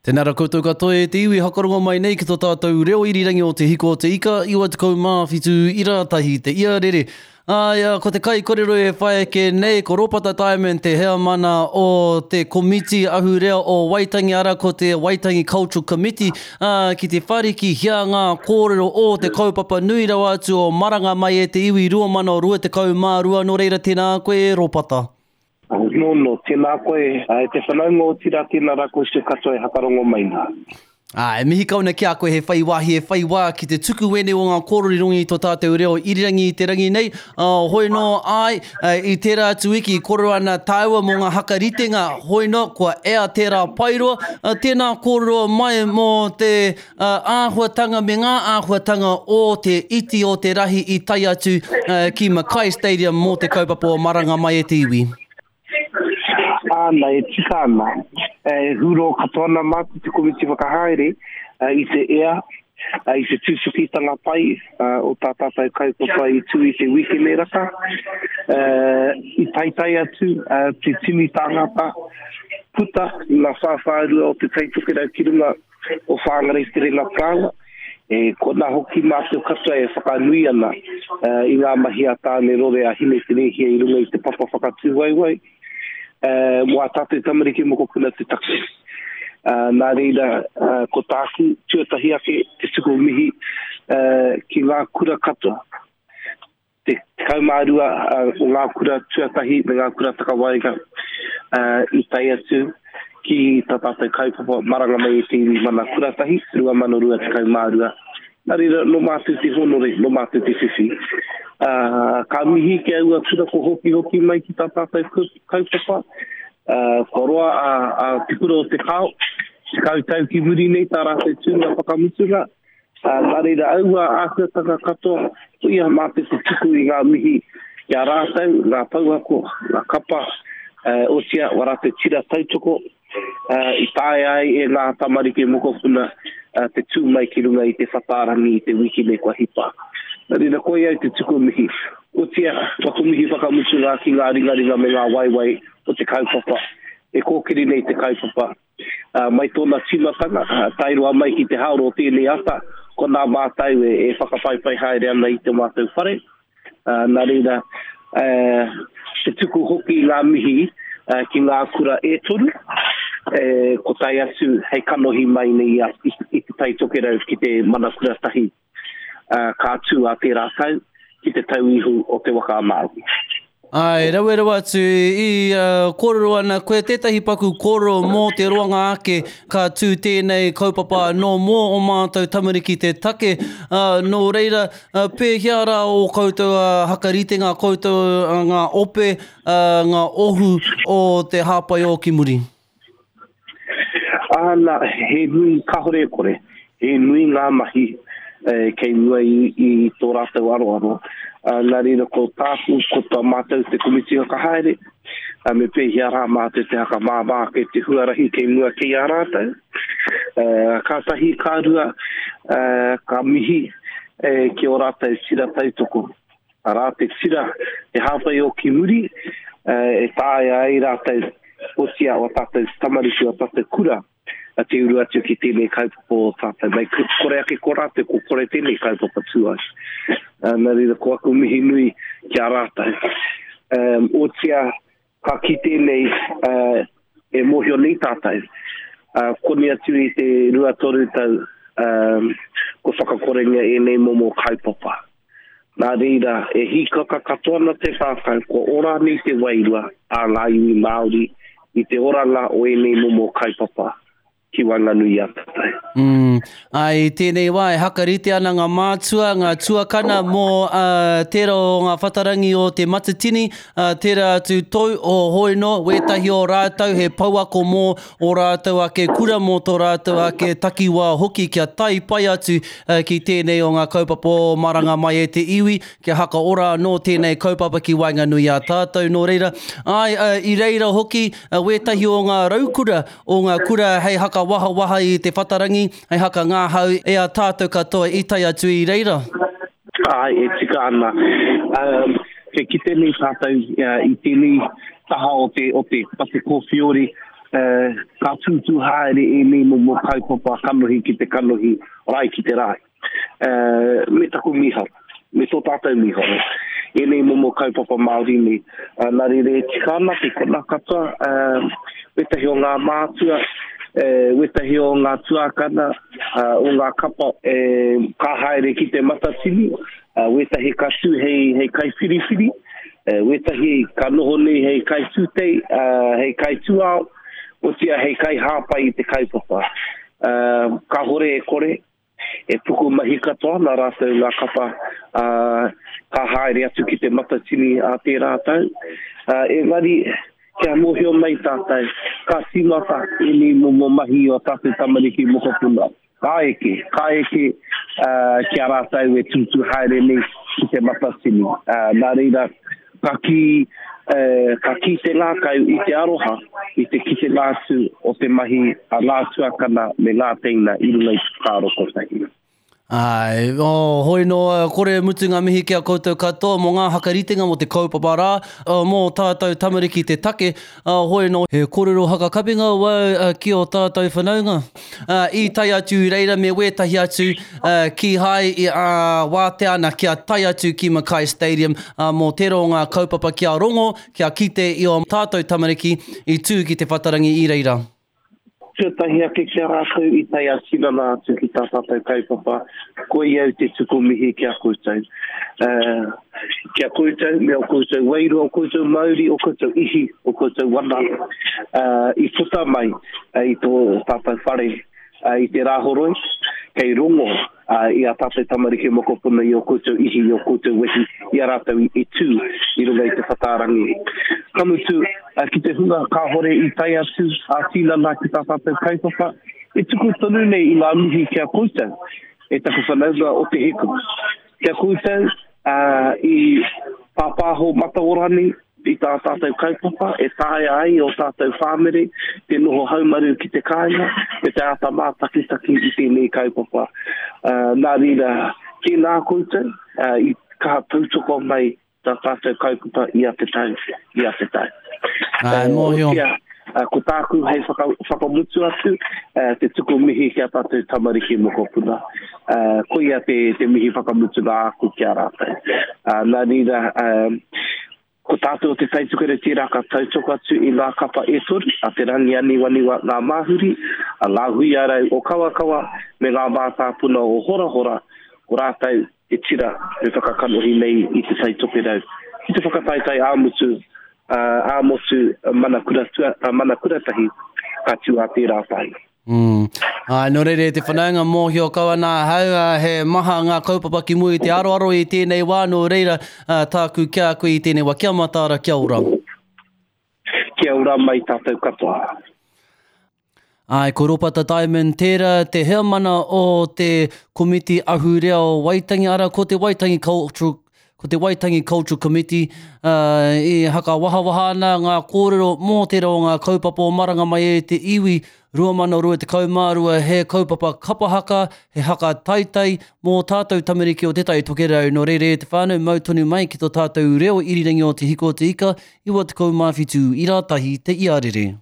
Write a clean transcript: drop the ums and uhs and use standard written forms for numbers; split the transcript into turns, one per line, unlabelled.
Tēnā rā koutou katoa e te iwi hakarongo mai nei ki tō tātou reo irirangi o Te Hiko o Te Ika, 97 ira tahi te iarere. Āe, ko te kaikorero e whai ake nei, ko Ropata Diamond te heamana o te Komiti Ahurea o Waitangi, arā ko te Waitangi Cultural Committee, ā, ki te wharikihia ngā kōrero o te kaupapa nui rawa atu o Maranga Mai e te Iwi 2022, nō reira tēnā koe e Ropata.
Nōno, tēnā koe, e te whanaunga otirā tēnā rā koutou katoa e hakarongo mai nā.
Ā, e mihi kau ana ki a koe he whai wāhi, e whai wā ki te tuku wēnei o ngā kōrero i runga i tō tātou reo irirangi i te rangi nei. Ā, hoi nō, āe, i tērā atu wiki i kōrero ana tāua mō ngā hakaritenga, hoi nō, kua ea tērā paeroa. Ā, tēnā kōrero mai mō te āhuatanga me ngā āhuatanga o te iti o te rahi i tae atu ki Mackay Stadium mō te kaupapa o Maranga Mai e te Iwi.
Āna, e tika ana. E huro katoa ana mātou te komiti whakahaere i te ea, i te tutukitanga pai o tā tātou kaupapa i tū i te wikene raka. I taetae atu te tini tāngata puta i ngā whāwhārua o Te Tai Tokerau ki runga o Whāngarei Te Renga Parāoa, e kona hoki mātou katoa e whakanui ana i ngā mahi a Tāne Rore a Hine Te Rēhia i runga i te papa whakatūwaewae mō ā tātou tamariki mokopuna te take. Nā reira, ko tāku tuatahi ake te tuku mihi ki ngā kura katoa. Te 12 o ngā kura tuatahi me ngā kura takawaenga i tae atu ki tā tātou kaupapa Maranga Mai e te Iwi Mana Kuratahi 2022. Nā reira, nō mātou te hōnore, nō mātou te whiwhi. Ka mihi ki aua kura ko hokihoki mai ki tā tātou kaupapa. Kua roa a Te Kura o Te Kao, 10 tau ki muri nei tā rātou tūnga whakamutunga. Ā, nā reira aua āhuatanga katoa, koia mātou te tuku i ngā mihi ki a rātou, ngā pouako, ngā kapa, ā, otirā, wā rātou tira tautoko, ā, i taea ai e ngā tamariki mokopuna, ā, te tū mai ki runga i te whatārangi i te wiki nei kua hipa. Nā reira, koia au te tuku mihi. Otirā, waku mihi whakamutunga ki ngā ringaringa me ngā waewae o te kaupapa, e kōkiri nei te kaupapa, Mai tōna tīmatanga, tae roa mai ki te haoro o tēnei ata, ko nā mātou e whakawhaiwhai haere ana i te mātou whare. Nā reira, te tuku hoki i ngā mihi ki ngā kura e toru, ko tae atu hei kanohi mai nei i Te Tai Tokerau ki te Mana Kura Tahi. ka tū a tērā tau ki te tau ihu o Te Waka a Māui.
Āe, rawe rawa atu i kōrero ana koe tētahi paku kōrero mō te roanga ake ka tū tēnei kaupapa anō mō ō mātou tamariki te take, nō reira, pēhea rā ō koutou hakaritenga, koutou ngā ope, ngā ohu o te hāpai ō ki muri?
Āna, he nui, kāore e kore, he nui ngā mahi kei mua i, i tō rātou aroaro. Nā reira, ko tāku, ko tā mātou te komiti whakahaere, me pēhea rā mātou te whakamāmā ake te huarahi kei mua kei a rātou. Ka tahi, ka rua, ka mihi ki ō rātou tira tautoko. Arā te tira e hāpai o ki muri, e taea ai rātou, otiia o tātou tamariki, o tātou kura, te uru atu ki tēnei kaupapa o tātou. Mei kore ake ko rātou, ko kore tēnei kaupapa tū ai. Nā reira, ko aku mihi nui ki a rātou. Otiia, Ka kite nei, e mōhio nei tātou, koni atu i te 2-3 tau kua whakakorengia ēnei momo kaupapa. Nā reira, e hīkaka katoa ana te ngākau kua ora nei te wairua a ngā iwi Māori i te oranga o ēnei momo kaupapa. ki waenganui i a tātou.
Mm. Ā, i tēnei wā e hakarite ana ngā mātua, ngā tuakana mō uh, tērā o ngā whatarangi o Te Matatini, uh, tērā atu tou o Hoino, wētahi o rātou he pouako mō o rātou ake kura, mō tō rātou ake takiwā hoki kia tae pai atu uh, ki tēnei o ngā kaupapa o Maranga Mai e te Iwi, kia hakaora anō tēnei kaupapa ki waenganui i a tātou. Nō reira, āe, uh, i reira hoki uh, wētahi o ngā raukura o ngā kura hei haka wahawaha i te whatarangi, hei haka ngahau e a tātou katoa i tae atu i reira.
Āe, e tika ana. Um, kei kite nei tātou uh, i tēnei taha o te, o te, o te kōwhiori. Ka tūtū haere ēnei momo kaupapa kanohi ki te kanohi, rae ki te rae. Me taku mīharo, me tō tātou mīharo, ēnei momo kaupapa Māori nei. Nā reira e tika ana te kona katoa, wētahi o ngā mātua, wētahi o ngā tuākana, o ngā kapa ka haere ki te Matatini, wētahi ka tū hei kaiwhiriwhiri, wētahi ka noho nei hei kaitūtei, hei kaitūao, otirā hei kaihāpai i te kaupapa. Kāhore e kore, e pukumahi katoa ana rātou ngā kapa, ka haere atu ki te Matatini ā tērā tau. Engari, kia mōhio mai tātou, ka tīmata ēnei momo mahi i ō tātou tamariki mokopuna. Ka eke, ka eke ki a rātou e tūtū haere nei ki te Matatini. Nā reira, ka kī, ka kī te ngākau i te aroha, i te kitenga atu o te mahi a ngā tuakana me ngā teina i runga i te whakaaro kotahi.
Āe, oh, hoi nō, kore e mutu ngā mihi ki a koutou katoa mō ngā hakaritenga mō te kaupapa rā, mō tātou tamariki te take, hoi nō, he kōrero hakakapinga wau ki ō tātou whanaunga. I tae atu i reira me wētahi atu kīhai i wātea ana kia tae atu ki Mackay Stadium mō tērā o ngā kaupapa kia rongo, kia kite i ō tātou tamariki i tū ki te whatarangi i reira.
Tuatahi ake ki a rātou i tae ā-tinana atu ki tā tātou kaupapa, koia au te tuku mihi ki a koutou. Ki a koutou me ō koutou wairua, ō koutou mauri, ō koutou ihi, ō koutou wana i puta mai i tō tātou whare i te Rāhoroi, kei rongo i ā tātou tamariki mokopuna i ō koutou ihi, i ō koutou wehi, i a rātou i tū i runga i te whatārangi. Ka mutu, ki te hunga kāhore i tae atu ā-tinana ki tā tātou kaupapa, e tuku tonu nei i ngā mihi ki a koutou, e taku whanaunga o Te Hiku. Ki a koutou, i pāpāho mataora nei, i tā tātou kaupapa e taea ai ō tātou whāmere te noho haumaru ki te kāinga me te āta mātakitaki i tēnei kaupapa. Nā reira, tēnā koutou i kaha tautoko mai tā tātou kaupapa ia te tau, ia te tau.
Āe, mōhio.
Otiia, ko tāku hei whakamutu atu, te tuku mihi ki a tātou tamariki mokopuna. Koia te mihi whakamutunga āku ki a rātou. Nā reira, ko tātou o Te Tai Tokerau tērā ka tautoko atu i ngā kapa e toru, a Te Rangianiwaniwa Ngā Māhuri, a Ngā Huiarau o Kawakawa me Ngā Mātāpuna o Horahora, ko rātou te tira e whakakanohi nei i Te Tai Tokerau ki te whakataetae ā-mutu, ā-motu Mana Kura, Mana Kuratahi ka tū ā tērā tau.
Mm. Āe, nō reira e te whanaunga mōhio kau ana ahau, he maha ngā kaupapa ki mua i te aroaro i tēnei wā, nō reira, tāku ki a koe i tēnei wā, kia mataara, kia ora.
Kia ora mai tātou katoa.
Āe, ko Ropata Diamond tērā, te heamana o te Komiti Ahurea o Waitangi, arā, ko te Waitangi Cultural Ko te Waitangi Cultural Committee e hakawahawaha ana ngā kōrero mō tērā o ngā kaupapa o Maranga Mai e te Iwi 2022 he kaupapa kapa haka, he haka taitai mō tātou tamariki o Te Tai Tokerau. Nō reira e te whānau, mau tonu mai ki tō tātou reo irirangi o Te Hiko o Te Ika, 97 ira tahi te iarere.